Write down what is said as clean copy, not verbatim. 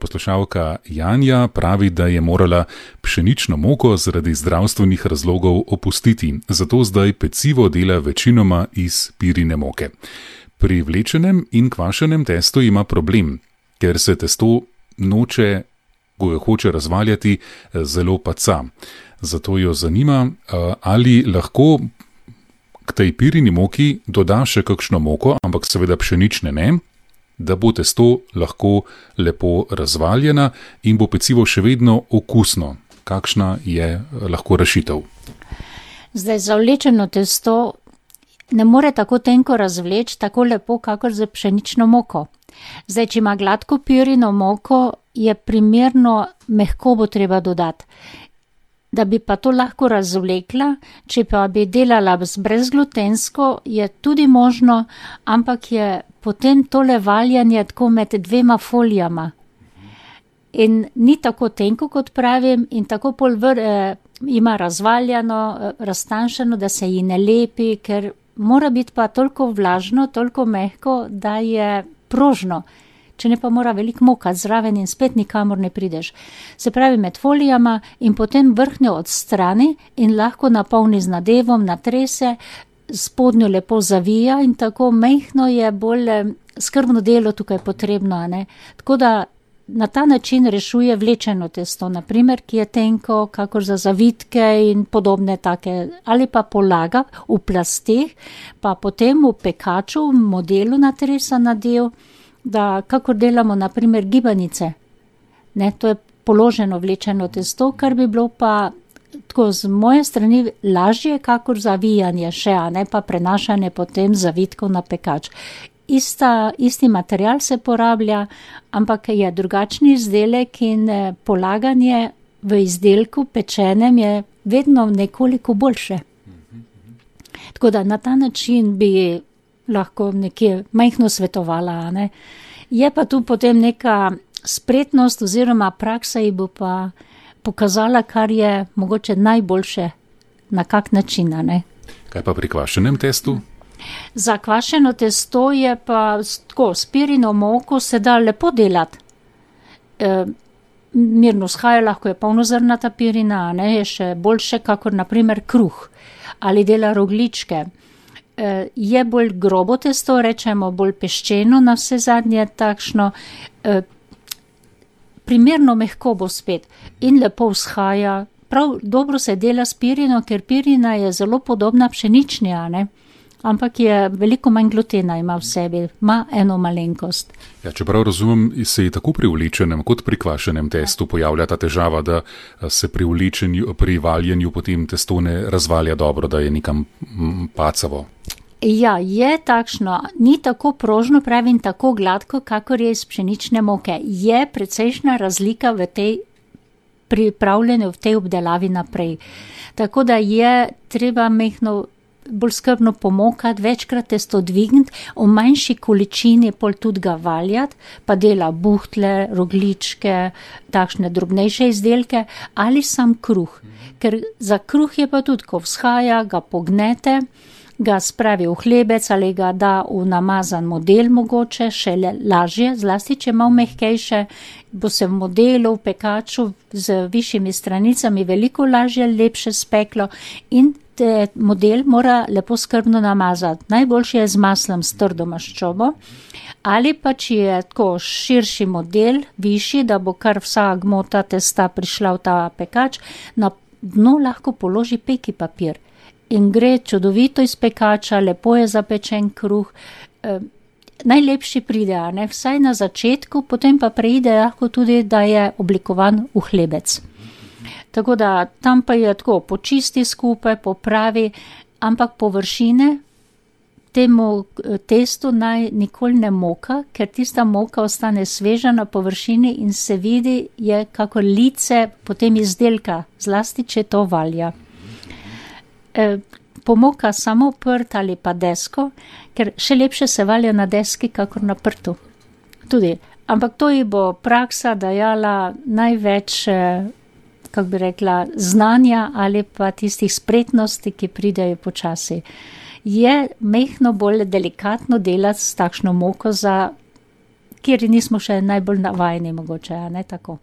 Poslušalka Janja pravi, da je morala pšenično moko zaradi zdravstvenih razlogov opustiti, zato zdaj pecivo dela večinoma iz pirine moke. Pri vlečenem in kvašenem testu ima problem, ker se testo noče, ko jo hoče razvaljati, zelo paca. Zato jo zanima, ali lahko k tej pirini moki doda še kakšno moko, ampak seveda pšenične ne, da bo testo lahko lepo razvaljena in bo pecivo še vedno okusno. Kakšna je lahko rešitev? Zdaj, za vlečeno testo ne more tako tenko razvleči, tako lepo, kakor za pšenično moko. Zdaj, če ima gladko pirino moko, je primerno mehko bo treba dodati. Da bi pa to lahko razvlekla, če pa bi delala brezglutensko, je tudi možno, ampak je potem tole valjanje tako med dvema folijama. In ni tako tenko, kot pravim, in tako ima razvaljano, raztanjšano, da se ji ne lepi, ker mora biti pa toliko vlažno, toliko mehko, da je prožno. Če ne pa mora veliko mokati zraven in spet nikamor ne prideš. Se pravi med folijama in potem vrhnjo odstrani in lahko napolni z nadevom, natrese, spodnjo lepo zavija in tako mehno je bolj skrbno delo tukaj potrebno. Tako da na ta način rešuje vlečeno testo, naprimer, ki je tenko, kakor za zavitke in podobne take, ali pa polaga v plasteh, pa potem v pekaču, v modelu natresa nadev, da kakor delamo naprimer gibanice. To je položeno vlečeno testo, kar bi bilo pa tako z moje strani lažje, kakor zavijanje še, pa prenašanje potem zavitkov na pekač. Isti material se porablja, ampak je drugačni izdelek in polaganje v izdelku pečenem je vedno nekoliko boljše. Tako da na ta način bi lahko nekje majhno svetovala. Je pa tu potem neka spretnost oziroma praksa ji bo pa pokazala, kar je mogoče najboljše, na kak način. Kaj pa pri kvašenem testu? Za kvašeno testo je pa tako, s pirino moko se da lepo delati. Mirno shaja, lahko je polnozrnata pirina, je še boljše, kakor naprimer kruh ali dela rogljičke. Je bolj grobo testo, rečemo bolj peščeno, na vse zadnje takšno, primerno mehko bo spet in lepo vzhaja. Prav dobro se dela s pirino, ker pirina je zelo podobna pšenični, ampak je veliko manj glutena, ima v sebi, ima eno malenkost. Ja, čeprav razumem, se je tako pri vlečenem kot pri kvašenem testu pojavlja ta težava, da se pri valjenju potem testo ne razvalja dobro, da je nekam pacavo. Ja, je takšno, ni tako prožno, pravim, tako gladko, kakor je iz pšenične moke. Je precejšnja razlika v tej pripravljanju, v tej obdelavi naprej. Tako da je treba mehno bolj skrbno pomokati, večkrat testo dvigniti, v manjši količini pol tudi ga valjati, pa dela buhtle, rogljičke, takšne drobnejše izdelke ali sam kruh. Ker za kruh je pa tudi, ko vzhaja, ga pognete, ga spravi v hlebec ali ga da v namazan model mogoče, še lažje, zlasti če malo mehkejše, bo se v modelu, v pekaču z višjimi stranicami veliko lažje, lepše speklo in model mora lepo skrbno namazati. Najboljše je z maslom, s trdo maščobo, ali pa če je tako širši model, višji, da bo kar vsa gmota testa prišla v ta pekač, na dno lahko položi peki papir. In gre čudovito iz pekača, lepo je zapečen kruh. Najlepši pride, vsaj na začetku, potem pa preide lahko tudi, da je oblikovan v hlebec. Tako da tam pa je tako, počisti skupaj, popravi, ampak površine temu testu naj nikoli ne moka, ker tista moka ostane sveža na površini in se vidi, je kako lice potem izdelka, zlasti če to valja. Pomoka samo prt ali pa desko, ker še lepše se valja na deski, kakor na prtu. Tudi, ampak to ji bo praksa dajala največ, kako bi rekla, znanja ali pa tistih spretnosti, ki pridejo počasi. Je mehno bolj delikatno delati s takšno moko za kjer nismo še najbolj navajeni mogoče, a ne tako.